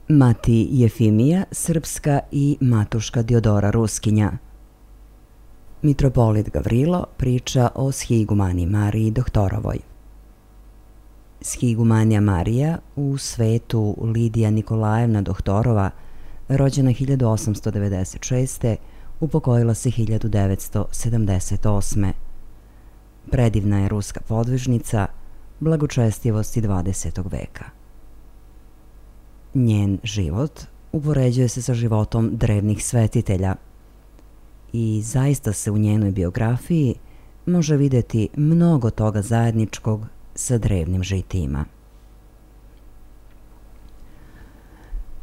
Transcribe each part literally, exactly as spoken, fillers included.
Mati Jefimija srpska i matuška Diodora Ruskinja. Mitropolit Gavrilo priča o shigumani Mariji Doktorovoj. Shigumanija Marija, u svetu Lidija Nikolajevna Doktorova, rođena hiljadu osamsto devedeset šeste. upokojila se hiljadu devetsto sedamdeset osme. Predivna je ruska podvižnica blagočestivosti dvadesetog veka. Njen život upoređuje se sa životom drevnih svetitelja i zaista se u njenoj biografiji može vidjeti mnogo toga zajedničkog sa drevnim žitijima.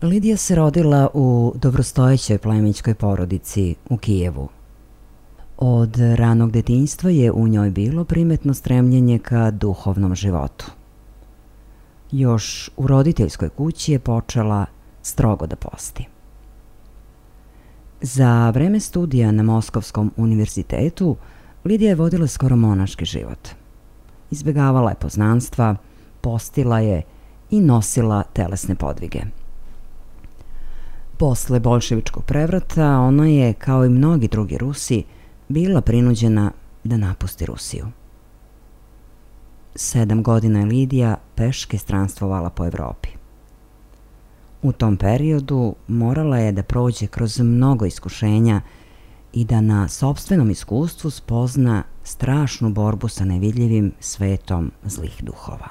Lidija se rodila u dobrostojećoj plemićkoj porodici u Kijevu. Od ranog detinjstva je u njoj bilo primetno stremljenje ka duhovnom životu. Još u roditeljskoj kući je počela strogo da posti. Za vreme studija na Moskovskom univerzitetu Lidija je vodila skoro monaški život. Izbjegavala je poznanstva, postila je i nosila telesne podvige. Posle bolševičkog prevrata ona je, kao i mnogi drugi Rusi, bila prinuđena da napusti Rusiju. Sedam godina je Lidija peške stranstvovala po Evropi. U tom periodu morala je da prođe kroz mnogo iskušenja i da na sopstvenom iskustvu spozna strašnu borbu sa nevidljivim svetom zlih duhova.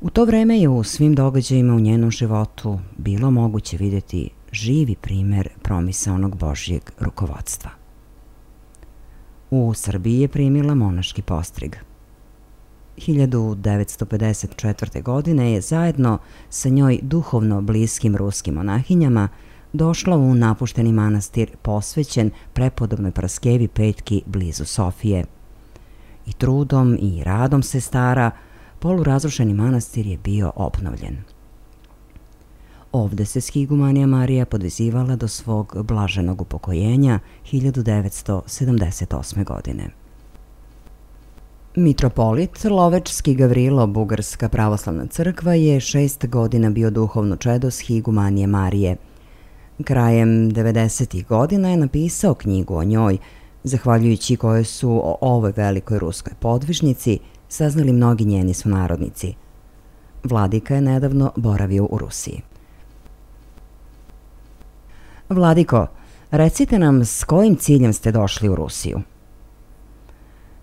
U to vreme je u svim događajima u njenom životu bilo moguće vidjeti živi primer promisaonog Božjeg rukovodstva. U Srbiji je primila monaški postrig. hiljadu devetsto pedeset četvrte. godine je zajedno sa njoj duhovno bliskim ruskim monahinjama došla u napušteni manastir posvećen prepodobnoj Paraskevi Petki blizu Sofije. I trudom i radom sestara polurazrušeni manastir je bio obnovljen. Ovde se shigumanija Marija podvezivala do svog blaženog upokojenja hiljadu devetsto sedamdeset osme. godine. Mitropolit Lovečski Gavrilo, Bugarska pravoslavna crkva, je šest godina bio duhovno čedo shigumanije Marije. Krajem devedesetih godina je napisao knjigu o njoj, zahvaljujući kojoj su o ovoj velikoj ruskoj podvižnici saznali mnogi njeni sunarodnici. Vladika je nedavno boravio u Rusiji. Vladiko, recite nam s kojim ciljem ste došli u Rusiju?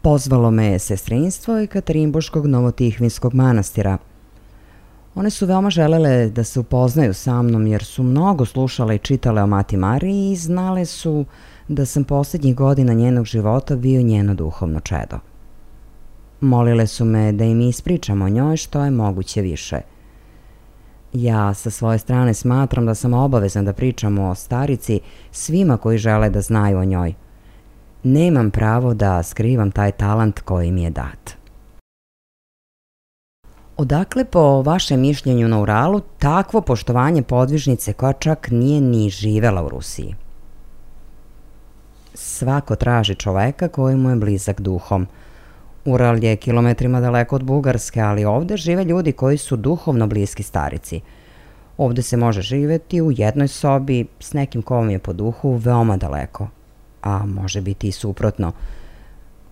Pozvalo me je sestrinstvo i Katarinboškog Novotihvinskog manastira. One su veoma želele da se upoznaju sa mnom jer su mnogo slušale i čitale o Mati Mariji i znale su da sam posljednjih godina njenog života bio njeno duhovno čedo. Molile su me da im ispričam o njoj što je moguće više. Ja sa svoje strane smatram da sam obavezna da pričam o starici svima koji žele da znaju o njoj. Nemam pravo da skrivam taj talant koji mi je dat. Odakle po vašem mišljenju na Uralu takvo poštovanje podvižnice koja čak nije ni živela u Rusiji? Svako traži čoveka koji mu je blizak duhom. Ural je kilometrima daleko od Bugarske, ali ovde žive ljudi koji su duhovno bliski starici. Ovde se može živeti u jednoj sobi s nekim ko vam je po duhu veoma daleko, a može biti i suprotno.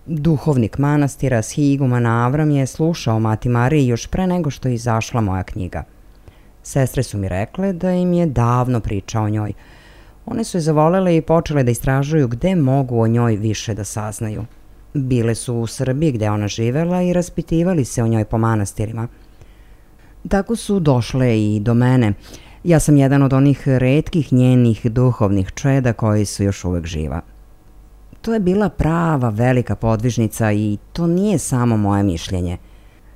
Duhovnik manastira shiguman Avram je slušao Mati Mariji još pre nego što je izašla moja knjiga. Sestre su mi rekle da im je davno pričao o njoj. One su je zavolele i počele da istražuju gde mogu o njoj više da saznaju. Bile su u Srbiji gde ona živela i raspitivali se o njoj po manastirima. Tako su došle i do mene. Ja sam jedan od onih retkih njenih duhovnih čeda koji su još uvek živa. To je bila prava velika podvižnica i to nije samo moje mišljenje.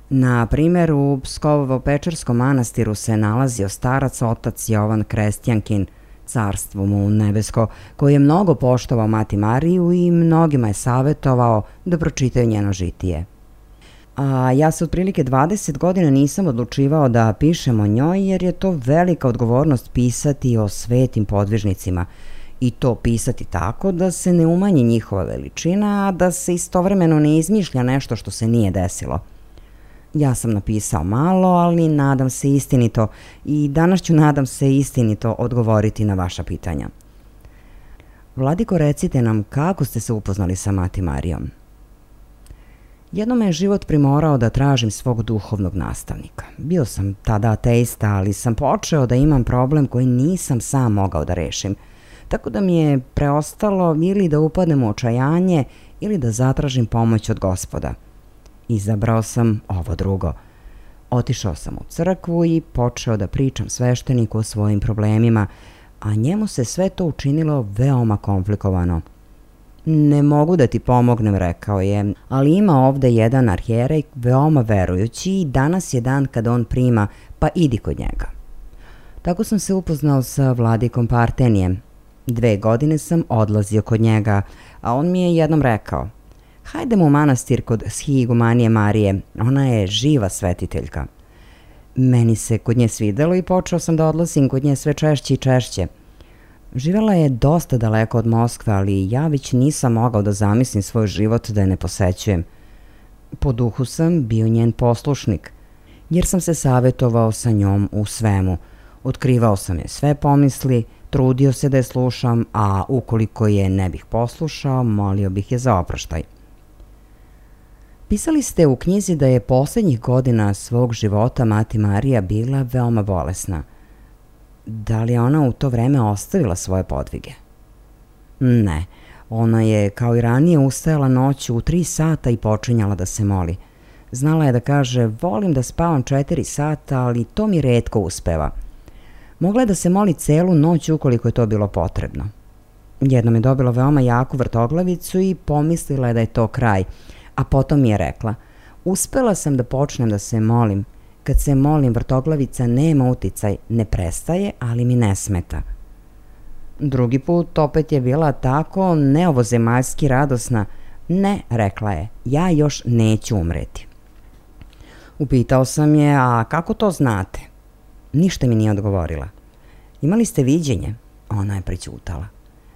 Na primjer, u Pskovo-Pečerskom manastiru se nalazio starac otac Jovan Krestjankin, carstvo mu nebesko, koji je mnogo poštovao Mati Mariju i mnogima je savjetovao da pročitaju njeno žitije. A ja se otprilike dvadeset godina nisam odlučivao da pišem o njoj jer je to velika odgovornost pisati o svetim podvižnicima i to pisati tako da se ne umanji njihova veličina, a da se istovremeno ne izmišlja nešto što se nije desilo. Ja sam napisao malo, ali nadam se istinito i danas ću nadam se istinito odgovoriti na vaša pitanja. Vladiko, recite nam kako ste se upoznali sa Mati Marijom. Jednom me je život primorao da tražim svog duhovnog nastavnika. Bio sam tada ateista, ali sam počeo da imam problem koji nisam sam mogao da rešim. Tako da mi je preostalo ili da upadnem u očajanje ili da zatražim pomoć od Gospoda. Izabrao sam ovo drugo. Otišao sam u crkvu i počeo da pričam svešteniku o svojim problemima, a njemu se sve to učinilo veoma komplikovano. Ne mogu da ti pomognem, rekao je, ali ima ovde jedan arhijerej veoma verujući i danas je dan kad on prima, pa idi kod njega. Tako sam se upoznao sa vladikom Partenijem. Dve godine sam odlazio kod njega, a on mi je jednom rekao: hajdemo u manastir kod Shigumanije Marije, ona je živa svetiteljka. Meni se kod nje svidelo i počeo sam da odlazim kod nje sve češće i češće. Živela je dosta daleko od Moskve, ali ja već nisam mogao da zamislim svoj život da je ne posećujem. Po duhu sam bio njen poslušnik, jer sam se savjetovao sa njom u svemu. Otkrivao sam je sve pomisli, trudio se da je slušam, a ukoliko je ne bih poslušao, molio bih je za oproštaj. Pisali ste u knjizi da je posljednjih godina svog života Mati Marija bila veoma bolesna. Da li je ona u to vreme ostavila svoje podvige? Ne, ona je kao i ranije ustajala noću u tri sata i počinjala da se moli. Znala je da kaže: volim da spavam četiri sata, ali to mi retko uspeva. Mogla je da se moli celu noć ukoliko je to bilo potrebno. Jednom je dobila veoma jaku vrtoglavicu i pomislila je da je to kraj, a potom mi je rekla: uspela sam da počnem da se molim. Kad se molim, vrtoglavica nema uticaj, ne prestaje, ali mi ne smeta. Drugi put opet je bila tako neovozemaljski radosna. Ne, rekla je, ja još neću umreti. Upitao sam je: a kako to znate? Ništa mi nije odgovorila. Imali ste viđenje? Ona je prećutala.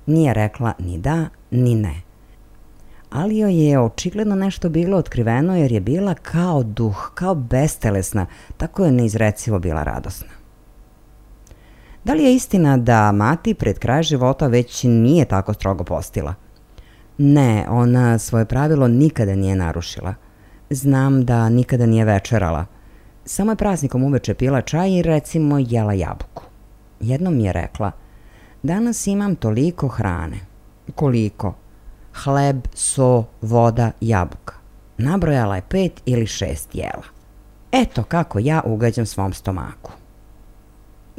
Nije rekla ni da, ni ne. Ali joj je očigledno nešto bilo otkriveno, jer je bila kao duh, kao bestelesna, tako je neizrecivo bila radosna. Da li je istina da Mati pred kraj života već nije tako strogo postila? Ne, ona svoje pravilo nikada nije narušila. Znam da nikada nije večerala. Samo je praznikom uveče pila čaj i recimo jela jabuku. Jednom mi je rekla: danas imam toliko hrane. Koliko? Hleb, so, voda, jabuka. Nabrojala je pet ili šest jela. Eto kako ja ugađam svom stomaku.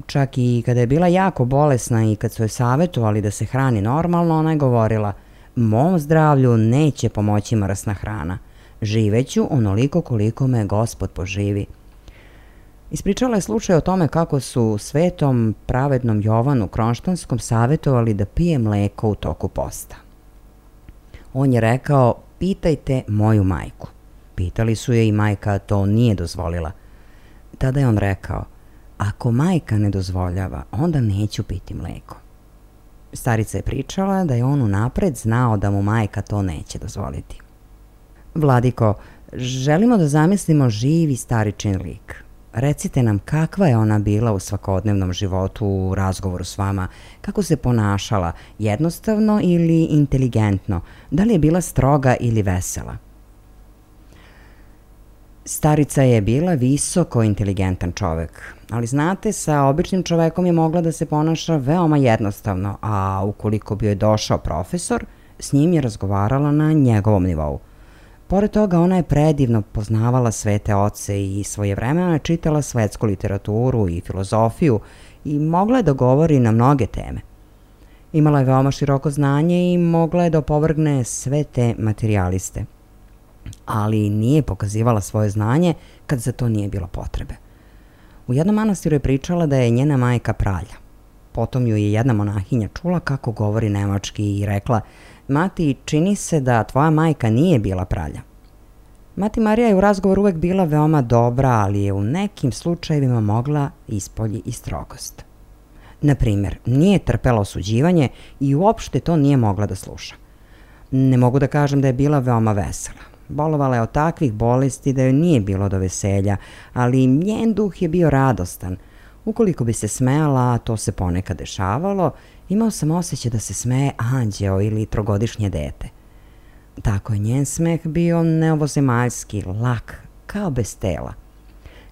Čak i kada je bila jako bolesna i kad su joj savjetovali da se hrani normalno, ona je govorila: mom zdravlju neće pomoći mrsna hrana. Živeću onoliko koliko me Gospod poživi. Ispričala je slučaj o tome kako su svetom pravednom Jovanu Kronštanskom savjetovali da pije mleko u toku posta. On je rekao: pitajte moju majku. Pitali su je i majka to nije dozvolila. Tada je on rekao: ako majka ne dozvoljava, onda neću piti mleko. Starica je pričala da je on unapred znao da mu majka to neće dozvoliti. Vladiko, želimo da zamislimo živi staričin lik. Recite nam kakva je ona bila u svakodnevnom životu, u razgovoru s vama, kako se ponašala, jednostavno ili inteligentno, da li je bila stroga ili vesela. Starica je bila visoko inteligentan čovek, ali znate, sa običnim čovekom je mogla da se ponaša veoma jednostavno, a ukoliko bi joj došao profesor, s njim je razgovarala na njegovom nivou. Pored toga, ona je predivno poznavala svete oce i svojevremeno je čitala svetsku literaturu i filozofiju i mogla je da govori na mnoge teme. Imala je veoma široko znanje i mogla je da opovrgne sve te materijaliste. Ali nije pokazivala svoje znanje kad za to nije bilo potrebe. U jednom manastiru je pričala da je njena majka pralja. Potom ju je jedna monahinja čula kako govori nemački i rekla: Mati, čini se da tvoja majka nije bila pralja. Mati Marija je u razgovoru uvek bila veoma dobra, ali je u nekim slučajevima mogla ispolji i strogost. Naprimjer, nije trpela osuđivanje i uopšte to nije mogla da sluša. Ne mogu da kažem da je bila veoma vesela. Bolovala je od takvih bolesti da joj nije bilo do veselja, ali njen duh je bio radostan. Ukoliko bi se smejala, a to se ponekad dešavalo, imao sam osjećaj da se smeje anđeo ili trogodišnje dete. Tako je njen smeh bio neovozemaljski, lak, kao bez tela.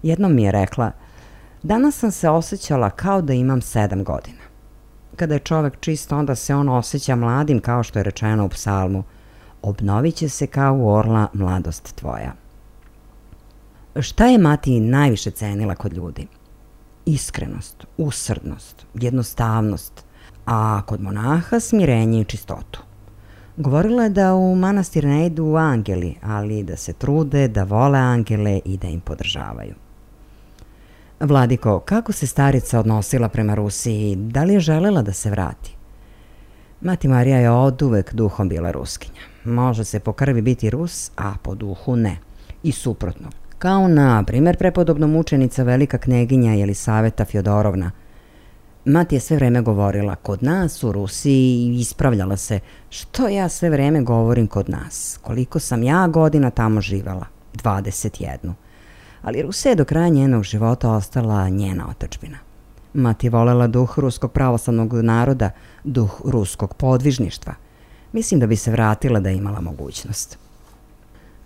Jednom mi je rekla: danas sam se osjećala kao da imam sedam godina. Kada je čovek čist, onda se on osjeća mladim, kao što je rečeno u psalmu: obnovit će se kao u orla mladost tvoja. Šta je mati najviše cenila kod ljudi? Iskrenost, usrdnost, jednostavnost, a kod monaha smirenje i čistotu. Govorila je da u manastir ne idu angeli, ali da se trude da vole angele i da im podržavaju. Vladiko, kako se starica odnosila prema Rusiji? Da li je želela da se vrati? Mati Marija je oduvek duhom bila Ruskinja. Može se po krvi biti Rus, a po duhu ne. I suprotno. Kao na primjer prepodobno mučenica velika kneginja Jelisaveta Fjodorovna. Mati je sve vreme govorila kod nas u Rusiji i ispravljala se: što ja sve vreme govorim kod nas, koliko sam ja godina tamo živela, dvadeset jednu. Ali Rusija je do kraja njenog života ostala njena otadžbina. Mati je volela duh ruskog pravoslavnog naroda, duh ruskog podvižništva. Mislim da bi se vratila da je imala mogućnost.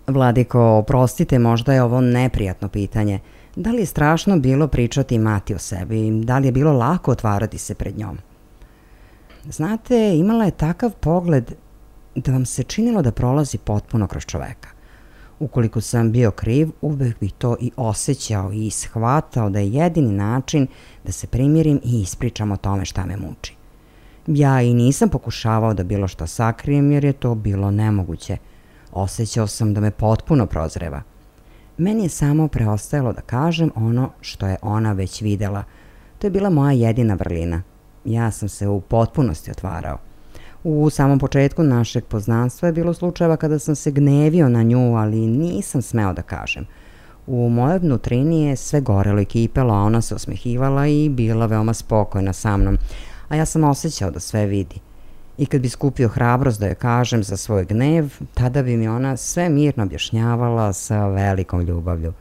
Vladiko, oprostite, možda je ovo neprijatno pitanje. Da li je strašno bilo pričati mati o sebi? Da li je bilo lako otvarati se pred njom? Znate, imala je takav pogled da vam se činilo da prolazi potpuno kroz čoveka. Ukoliko sam bio kriv, uvek bih to i osjećao i shvatao da je jedini način da se primirim i ispričam o tome šta me muči. Ja i nisam pokušavao da bilo što sakrijem jer je to bilo nemoguće. Osjećao sam da me potpuno prozreva. Meni je samo preostajalo da kažem ono što je ona već videla. To je bila moja jedina vrlina. Ja sam se u potpunosti otvarao. U samom početku našeg poznanstva je bilo slučajeva kada sam se gnevio na nju, ali nisam smeo da kažem. U mojoj vnutrini je sve gorelo i kipelo, a ona se osmehivala i bila veoma spokojna sa mnom, a ja sam osjećao da sve vidi. I kad bi skupio hrabrost da joj kažem za svoj gnev, tada bi mi ona sve mirno objašnjavala sa velikom ljubavlju.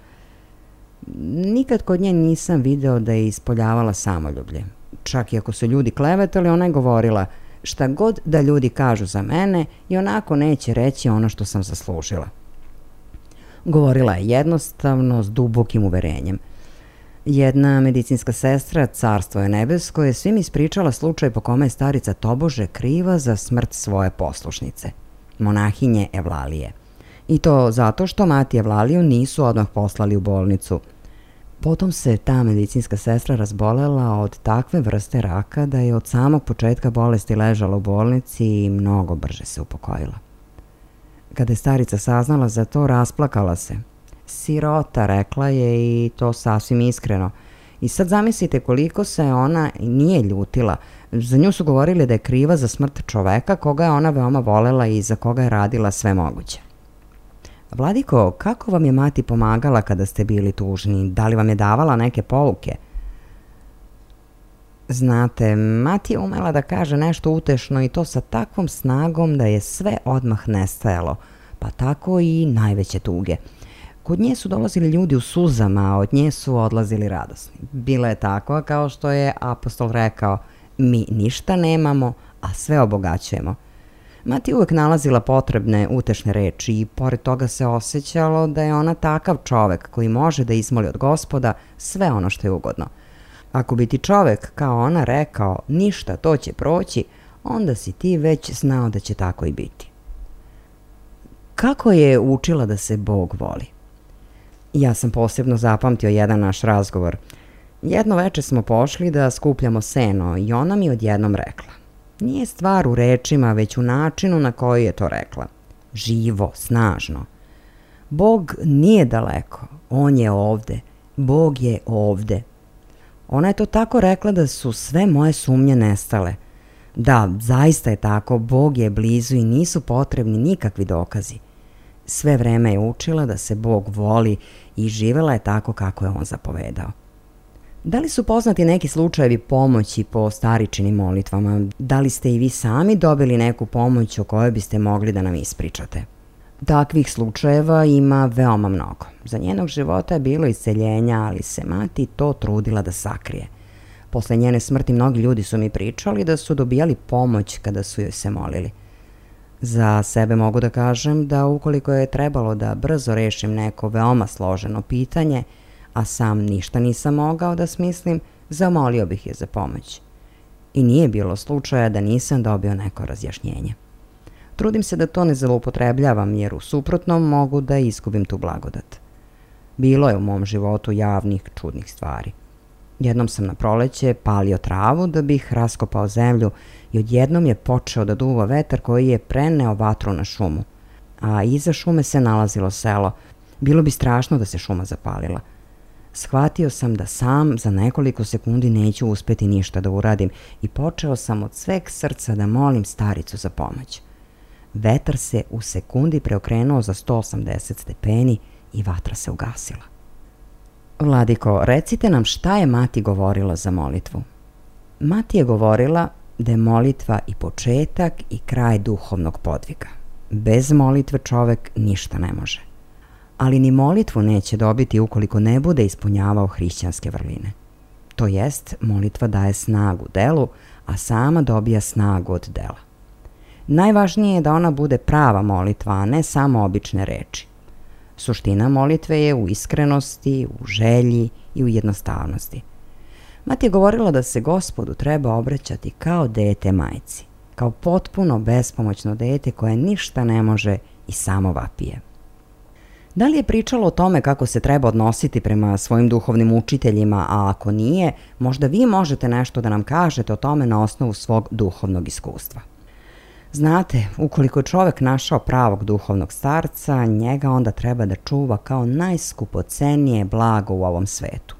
Nikad kod nje nisam video da je ispoljavala samoljublje. Čak i ako su ljudi klevetali, ona je govorila: šta god da ljudi kažu za mene, i onako neće reći ono što sam zaslužila. Govorila je jednostavno, s dubokim uverenjem. Jedna medicinska sestra, carstvo je nebesko, je svim ispričala slučaj po kome je starica tobože kriva za smrt svoje poslušnice, monahinje Evlalije. I to zato što mati Evlaliju nisu odmah poslali u bolnicu. Potom se ta medicinska sestra razbolela od takve vrste raka da je od samog početka bolesti ležala u bolnici i mnogo brže se upokojila. Kada je starica saznala za to, rasplakala se. Sirota, rekla je, i to sasvim iskreno. I sad zamislite koliko se ona nije ljutila. Za nju su govorili da je kriva za smrt čoveka koga je ona veoma volela i za koga je radila sve moguće. Vladiko, kako vam je mati pomagala kada ste bili tužni? Da li vam je davala neke pouke? Znate, mati je umela da kaže nešto utešno i to sa takvom snagom da je sve odmah nestajalo, pa tako i najveće tuge. Kod nje su dolazili ljudi u suzama, a od nje su odlazili radosni. Bila je takva kao što je apostol rekao: mi ništa nemamo, a sve obogaćujemo. Mati uvek nalazila potrebne utešne reči i pored toga se osjećalo da je ona takav čovek koji može da izmoli od Gospoda sve ono što je ugodno. Ako bi ti čovek, kao ona, rekao ništa, to će proći, onda si ti već znao da će tako i biti. Kako je učila da se Bog voli? Ja sam posebno zapamtio jedan naš razgovor. Jedno veče smo pošli da skupljamo seno i ona mi odjednom rekla: nije stvar u rečima, već u načinu na koji je to rekla. Živo, snažno. Bog nije daleko, on je ovde. Bog je ovde. Ona je to tako rekla da su sve moje sumnje nestale. Da, zaista je tako, Bog je blizu i nisu potrebni nikakvi dokazi. Sve vreme je učila da se Bog voli i živela je tako kako je on zapovedao. Da li su poznati neki slučajevi pomoći po staričinim molitvama? Da li ste i vi sami dobili neku pomoć o kojoj biste mogli da nam ispričate? Takvih slučajeva ima veoma mnogo. Za njenog života je bilo isceljenja, ali se mati to trudila da sakrije. Posle njene smrti mnogi ljudi su mi pričali da su dobijali pomoć kada su joj se molili. Za sebe mogu da kažem da ukoliko je trebalo da brzo rešim neko veoma složeno pitanje, a sam ništa nisam mogao da smislim, zamolio bih je za pomoć. I nije bilo slučaja da nisam dobio neko razjašnjenje. Trudim se da to ne zloupotrebljavam, jer u suprotnom mogu da izgubim tu blagodat. Bilo je u mom životu javnih, čudnih stvari. Jednom sam na proleće palio travu da bih raskopao zemlju i odjednom je počeo da duva vetar koji je preneo vatru na šumu. A iza šume se nalazilo selo. Bilo bi strašno da se šuma zapalila. Shvatio sam da sam za nekoliko sekundi neću uspeti ništa da uradim i počeo sam od sveg srca da molim staricu za pomoć. Vetar se u sekundi preokrenuo za sto osamdeset stepeni i vatra se ugasila. Vladiko, recite nam šta je mati govorila za molitvu. Mati je govorila da je molitva i početak i kraj duhovnog podviga. Bez molitve čovek ništa ne može. Ali ni molitvu neće dobiti ukoliko ne bude ispunjavao hrišćanske vrline. To jest, molitva daje snagu delu, a sama dobija snagu od dela. Najvažnije je da ona bude prava molitva, a ne samo obične reči. Suština molitve je u iskrenosti, u želji i u jednostavnosti. Mati je govorila da se Gospodu treba obraćati kao dete majci, kao potpuno bespomoćno dete koje ništa ne može i samo vapije. Da li je pričalo o tome kako se treba odnositi prema svojim duhovnim učiteljima, a ako nije, možda vi možete nešto da nam kažete o tome na osnovu svog duhovnog iskustva. Znate, ukoliko je čovek našao pravog duhovnog starca, njega onda treba da čuva kao najskupocenije blago u ovom svetu.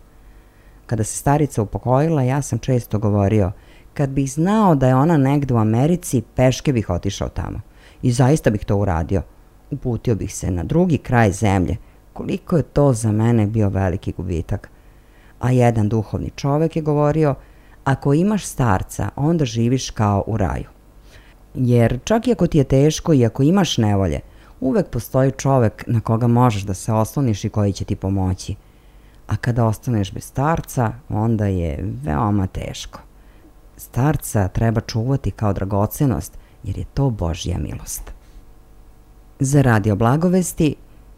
Kada se starica upokojila, ja sam često govorio, kad bih znao da je ona negde u Americi, peške bih otišao tamo. I zaista bih to uradio. Uputio bih se na drugi kraj zemlje. Koliko je to za mene bio veliki gubitak. A jedan duhovni čovek je govorio, ako imaš starca, onda živiš kao u raju. Jer čak i ako ti je teško i ako imaš nevolje, uvek postoji čovek na koga možeš da se osloniš i koji će ti pomoći. A kada ostaneš bez starca, onda je veoma teško. Starca treba čuvati kao dragocenost, jer je to Božja milost. Za Radio Blagovesti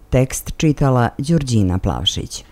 tekst čitala Đurđina Plavšić.